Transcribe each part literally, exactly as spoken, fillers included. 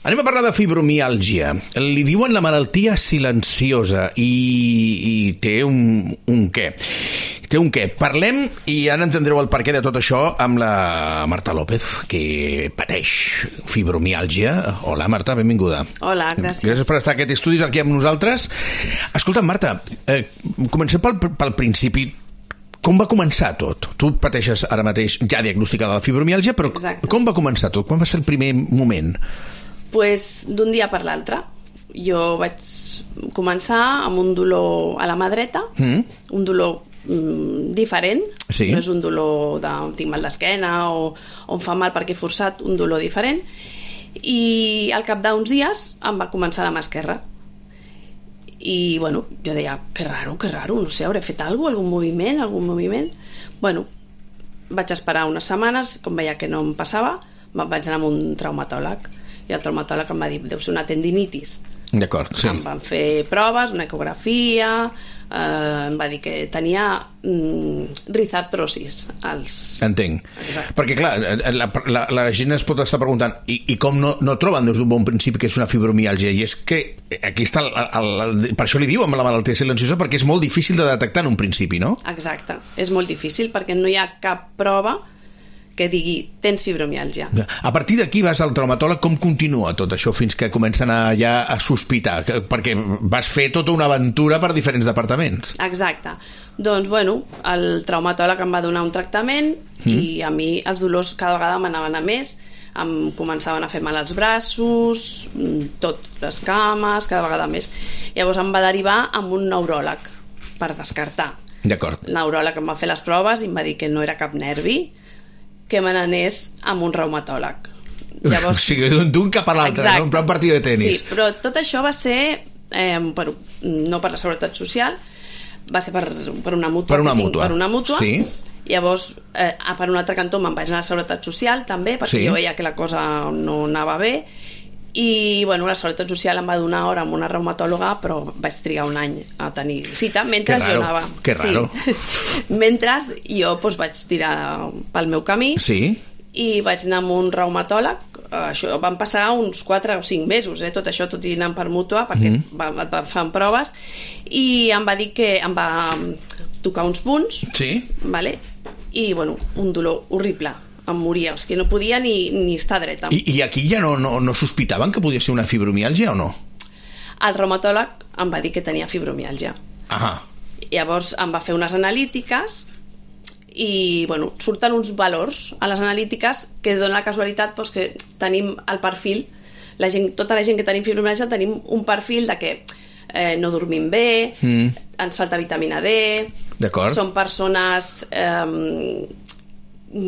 Anem a parlar de fibromiàlgia. Li diuen la malaltia silenciosa i, i té un, un què. Té un què. Parlem, i ara entendreu el perquè de tot això, amb la Marta López, que pateix fibromiàlgia. Hola, Marta, benvinguda. Hola, gràcies. Gràcies per estar a aquest estudi aquí amb nosaltres. Escolta, Marta, eh, comencem pel, pel principi. Com va començar tot? Tu pateixes ara mateix ja diagnosticada la fibromiàlgia, però Exacte. Com va començar tot? Quan va ser el primer moment? Pues d'un dia per l'altre. Jo vaig començar amb un dolor a la mà dreta, mm. un dolor mm, diferent, sí. No és un dolor de tinc mal d'esquena o, o em fa mal perquè he forçat, un dolor diferent, i al cap d'uns dies em va començar a la mà esquerra. I bueno, jo deia, que raro, que raro, no sé, hauré fet alguna cosa, algun moviment, algun moviment. Bueno, vaig esperar unes setmanes, com veia que no em passava, vaig anar amb un traumatòleg. I el traumatòleg em va dir, deu ser una tendinitis. D'acord, sí. Em van fer proves, una ecografia, eh, em va dir que tenia mm, rizartrosis. Als... Entenc. Exacte. Perquè, clar, la, la, la gent es pot estar preguntant i, i com no, no troben des d'un bon principi que és una fibromiàlgia? I és que aquí està, el, el, el, per això li diuen la malaltia silenciosa, perquè és molt difícil de detectar en un principi, no? Exacte, és molt difícil perquè no hi ha cap prova que digui, tens fibromiàlgia. A partir d'aquí vas al traumatòleg, com continua tot això fins que comencen a, ja a sospitar? Perquè vas fer tota una aventura per diferents departaments. Exacte. Doncs, bueno, el traumatòleg em va donar un tractament mm. i a mi els dolors cada vegada m'anaven a més, em començaven a fer mal als braços, tot, les cames, cada vegada més. Llavors em va derivar amb un neuròleg per descartar. D'acord. El neuròleg em va fer les proves i em va dir que no era cap nervi, que me n'anés amb un reumatòleg. Llavors, o sigui, d'un cap a l'altre, no? Un partit de tenis. Sí, però tot això va ser eh, per, no per la Seguretat Social, va ser per, per una mútua. Per una mútua. Per una mútua. Sí. Llavors, eh, per un altre cantó me'n vaig anar a la Seguretat Social també, perquè sí. Jo veia que la cosa no anava bé, i bueno, la Seguretat Social em va donar hora amb una reumatòloga, però vaig trigar un any a tenir cita mentre jo anava. Que raro. Sí. Mentre jo doncs, vaig tirar pel meu camí, sí. I vaig anar amb un reumatòleg. Això van passar uns quatre o cinc mesos, eh? Tot això tot i anant per mútua, perquè mm. va, va, fan proves, i em va dir que em va tocar uns punts, sí. Vale? I bueno, un dolor horrible, em moria, és que no podia ni, ni estar dreta. I, i aquí ja no, no, no sospitaven que podia ser una fibromiàlgia o no? El reumatòleg em va dir que tenia fibromiàlgia. Ahà. Llavors em va fer unes analítiques i bueno, surten uns valors a les analítiques que donen la casualitat doncs, que tenim el perfil, la gent, tota la gent que tenim fibromiàlgia tenim un perfil de que eh, no dormim bé, mm. ens falta vitamina D, som persones eh,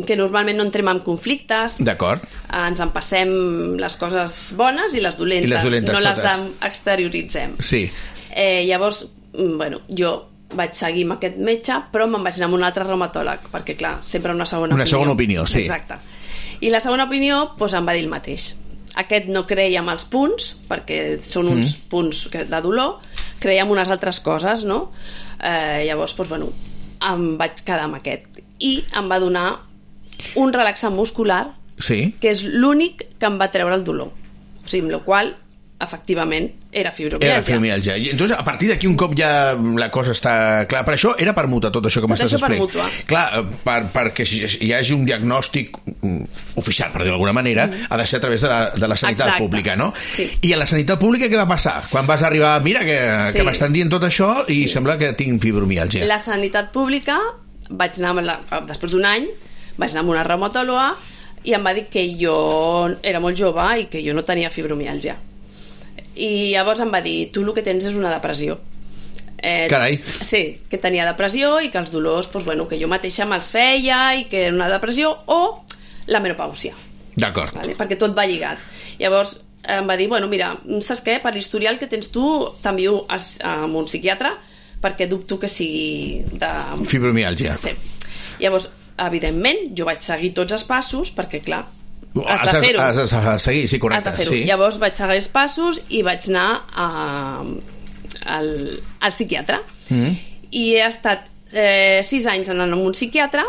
que normalment no entrem en conflictes, ens en passem les coses bones i les dolentes, I les dolentes no totes. Les exterioritzem. Sí. Eh, llavors, bueno, jo vaig seguir amb aquest metge, però me'n vaig anar amb un altre reumatòleg, perquè clar, sempre una segona una opinió. Una segona opinió, sí. Exacte. I la segona opinió doncs, em va dir el mateix. Aquest no creia en els punts, perquè són uns mm. punts de dolor, creia en unes altres coses, no? Eh, llavors, doncs, bueno, em vaig quedar amb aquest. I em va donar un relaxant muscular, sí. Que és l'únic que em va treure el dolor. O sigui, amb la qual efectivament era fibromiàlgia. Era fibromiàlgia. I entonces, a partir d'aquí un cop ja la cosa està clara. Per això era per mútua, tot això que m'estàs explicant. Tot això per mútua. Clar, per, perquè hi hagi un diagnòstic oficial, per dir d'alguna manera, mm. ha de ser a través de la, de la sanitat Exacte. Pública, no? Sí. I a la sanitat pública què va passar? Quan vas arribar, mira, que, sí. que m'estan dient tot això i sí. sembla que tinc fibromiàlgia. La sanitat pública, vaig anar amb la, després d'un any, vaig anar amb una reumatòloga i em va dir que jo era molt jove i que jo no tenia fibromiàlgia. I llavors em va dir, tu el que tens és una depressió. Eh, Carai. Sí, que tenia depressió i que els dolors, doncs, bueno, que jo mateixa me'ls feia i que era una depressió, o la menopàusia. D'acord. Vale? Perquè tot va lligat. Llavors em va dir, bueno, mira, saps què? Per l'historial que tens tu, t'envio amb un psiquiatre perquè dubto que sigui de... fibromiàlgia. Sí. Llavors, evidentment, jo vaig seguir tots els passos perquè, clar, has de fer-ho. Has de seguir, sí, correcte. Has de fer-ho. Sí. Llavors vaig seguir els passos i vaig anar a, al, al psiquiatre. Mm. I he estat eh, sis anys anant amb un psiquiatre.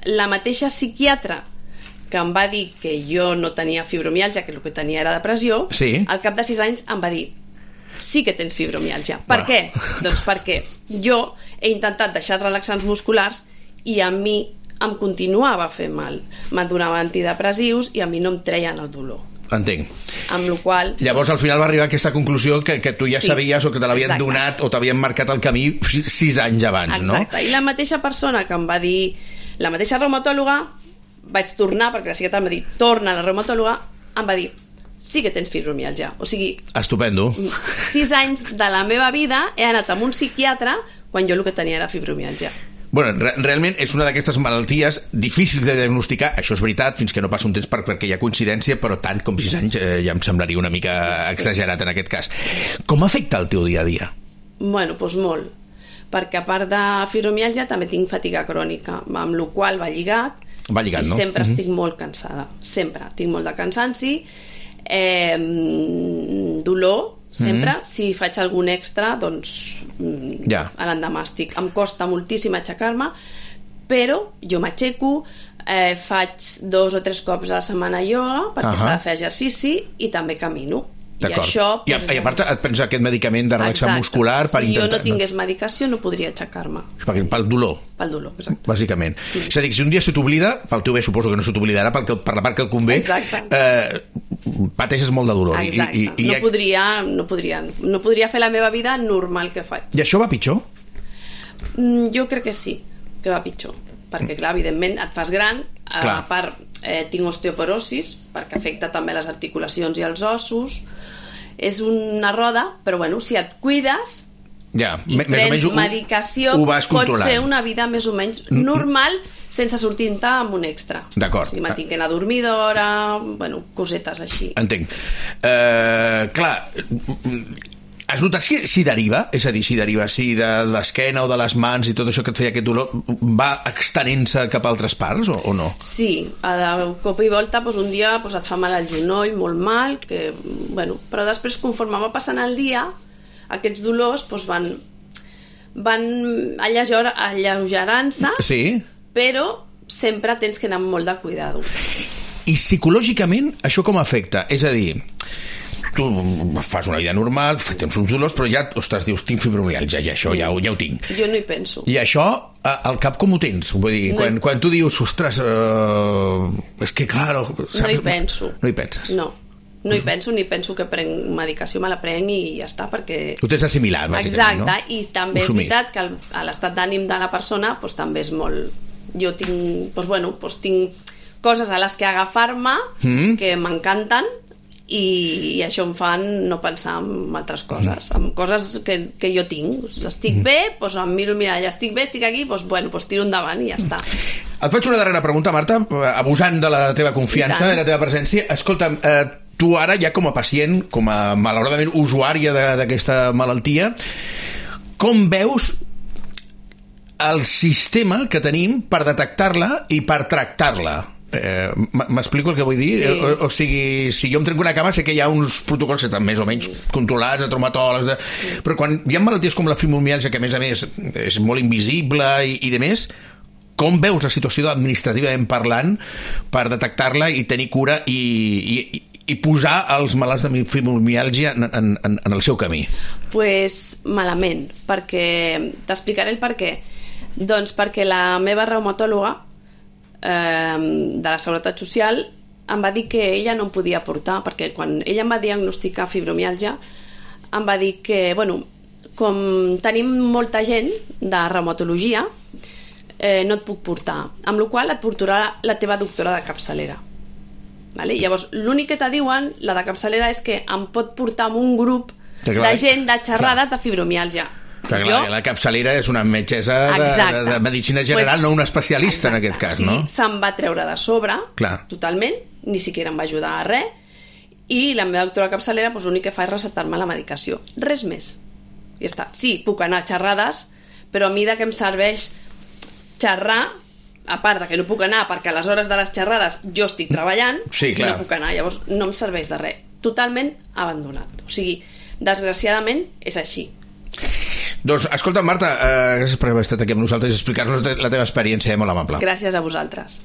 La mateixa psiquiatra que em va dir que jo no tenia fibromialgia, que el que tenia era depressió, sí. al cap de sis anys em va dir sí que tens fibromialgia. Per bueno. què? Doncs perquè jo he intentat deixar els relaxants musculars i a mi em continuava fent mal. Me'n donava antidepressius i a mi no em treien el dolor. Entenc. Amb la qual... Llavors al final va arribar a aquesta conclusió que, que tu ja sí, sabies o que te l'havien donat o t'havien marcat el camí sis anys abans, exacte. no? Exacte, i la mateixa persona que em va dir, la mateixa reumatòloga, vaig tornar, perquè la psiquiatra em va dir torna a la reumatòloga, em va dir sí que tens fibromialgia. O sigui... Estupendo. Sis anys de la meva vida he anat amb un psiquiatre quan jo el que tenia era fibromialgia. Bueno, re realment és una d'aquestes malalties difícils de diagnosticar, això és veritat, fins que no passa un temps per, perquè hi ha coincidència, però tant com sis anys eh, ja em semblaria una mica exagerat en aquest cas. Com afecta el teu dia a dia? Bueno, doncs molt, perquè a part de fibromialgia també tinc fatiga crònica, amb la qual va lligat, va lligat, i no? sempre Mm-hmm. estic molt cansada, sempre, tinc molt de cansanci, eh, dolor, sempre, mm-hmm. si faig algun extra, doncs ja. a l'endemà estic. Em costa moltíssim aixecar-me, però jo m'aixeco, eh, faig dos o tres cops a la setmana ioga, perquè uh-huh. s'ha de fer exercici, i també camino. I això... I a, i a part et prens aquest medicament de relaxant muscular per si intentar... jo no tingués medicació no podria aixecar-me. Pel dolor. Pel dolor, exacte. Bàsicament. Mm. És a dir, si un dia se t'oblida, pel teu bé suposo que no se t'oblidarà, per la part que et convé, eh, pateixes molt de dolor. Exacte. I, i, i... No, podria, no, podria, no podria fer la meva vida normal que faig. I això va pitjor? Mm, jo crec que sí, que va pitjor. Perquè, clar, evidentment, et fas gran, clar. A part, eh, tinc osteoporosis, perquè afecta també les articulacions i els ossos. És una roda, però, bueno, si et cuides ja, i més prens o menys ho, medicació, ho vas pots fer una vida més o menys normal sense sortir-te amb un extra. D'acord. O sigui, m'entenc que anar a dormir d'hora, bueno, cosetes així. Entenc. Uh, clar, has notat si, si deriva? És a dir, si deriva si de l'esquena o de les mans i tot això que et feia aquest dolor va extenent-se cap a altres parts o, o no? Sí, a cop i volta doncs un dia doncs et fa mal al genoll, molt mal, que, bueno, però després conforme va passant el dia aquests dolors doncs van, van alleugerant-se, sí. Però sempre tens que anar amb molt de cuidado. I psicològicament això com afecta? És a dir, tu fas una vida normal, tens uns dolors, però ja, ostres, dius, tinc fibromialgia, ja això, ja, ja ho tinc. Jo no hi penso. I això, al cap com ho tens? Vull dir, no quan, hi... quan tu dius, ostres, uh, és que, clar... Saps? No hi penso. No hi penses? No. No hi penso, ni penso que prenc medicació, me la prenc i ja està, perquè... Ho tens assimilat, bàsicament, no? Exacte, i també és veritat que el, l'estat d'ànim de la persona doncs, també és molt... Jo tinc, doncs, bueno, doncs, tinc coses a les que agafar-me mm. que m'encanten i, i això em fan no pensar en altres coses, en coses que, que jo tinc. Estic mm. bé, doncs em miro, mira, ja estic bé, estic aquí, doncs, bueno, doncs tiro endavant i ja està. Et faig una darrera pregunta, Marta, abusant de la teva confiança, de la teva presència. Escolta'm, eh, tu ara ja com a pacient, com a malauradament usuària d'aquesta malaltia, com veus el sistema que tenim per detectar-la i per tractar-la? Eh, m'explico el que vull dir? Sí. O, o sigui, si jo em trenco una cama sé que hi ha uns protocols que estan més o menys controlats de traumatòlegs, de... Sí. Però quan hi ha malalties com la fibromialgia, que a més a més és molt invisible i, i de més, com veus la situació administrativament parlant per detectar-la i tenir cura i, i, i posar els malalts de fibromialgia en, en, en el seu camí? Pues malament, perquè t'explicaré el per què. Doncs perquè la meva reumatòloga eh, de la Seguretat Social em va dir que ella no em podia portar, perquè quan ella em va diagnosticar fibromialgia em va dir que, bueno, com tenim molta gent de reumatologia, eh, no et puc portar, amb la qual et portarà la teva doctora de capçalera. Vale? Llavors, l'únic que te diuen, la de capçalera, és que em pot portar amb un grup de gent de xerrades clar. de fibromialgia. Clar, jo... La capçalera és una metgessa de, de, de medicina general, pues, no una especialista exacte. En aquest cas, no? O sigui, se'm va treure de sobre, clar. Totalment, ni siquiera em va ajudar a res, i la meva doctora capçalera pues, l'únic que fa és recetar-me la medicació. Res més. I està. Sí, puc anar a xerrades, però a mi de què em serveix xerrar, a part de que no puc anar perquè a les hores de les xerrades jo estic treballant, sí, clar. No puc anar, llavors no em serveix de res. Totalment abandonat. O sigui, desgraciadament és així. Doncs, escolta, Marta, eh, gràcies per haver estat aquí amb nosaltres i explicar-nos la teva experiència, eh, molt amable. Gràcies a vosaltres.